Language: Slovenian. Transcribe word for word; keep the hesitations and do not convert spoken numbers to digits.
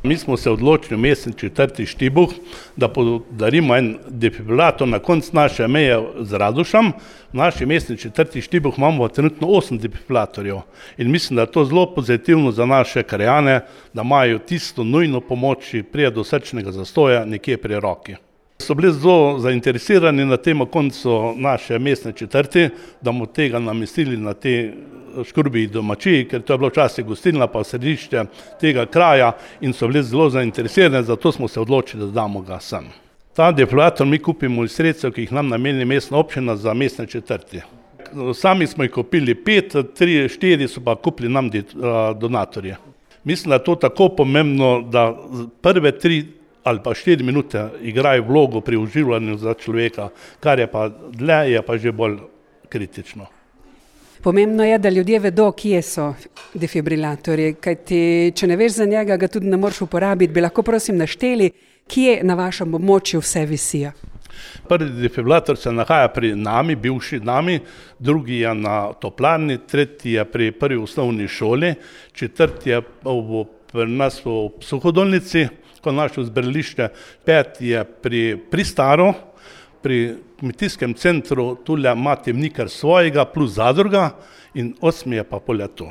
Mi smo se odločili v mestni četrti Štibuh, da podarimo en defibrilator na koncu naše meje z Radošem. V naši mestni četrti Štibuh imamo trenutno osem defibrilatorjev in mislim, da je to zelo pozitivno za naše krajane, da imajo tisto nujno pomoč, če pride do srčnega zastoja nekje pri roki. So bili zelo zainteresirani na tem koncu naše mestne četrti, da bomo tega namestili na te Škrubiji domačiji, ker to je bilo včasih gostilna pa središče tega kraja in so bili zelo zainteresirani, zato smo se odločili, da damo ga sem. Ta defibrilator mi kupimo iz sredstev, ki jih nam nameni mestna občina za mestne četrti. Sami smo jih kupili pet, tri, štiri so pa kupili nam donatorje. Mislim, da je to tako pomembno, da prve tri ali pa štiri minute igrajo vlogo pri oživljanju za človeka, kar je pa dlje, je pa že bolj kritično. Pomembno je, da ljudje vedo, kje so defibrilatorji, kajti če ne veš za njega, ga tudi ne moreš uporabiti. Bi lahko prosim našteli, kje na vašem območju vse visijo? Prvi defibrilator se nahaja pri nami, bivši nami, drugi je na toplarni, tretji je pri prvi osnovni šoli, četrti je pri nas v Suhodolnici, ko naše zbirališče, peti je pri Pristaro, pri kmetijskem centru tule ima Temnikar svojega plus zadruga in osmi je pa Poljato.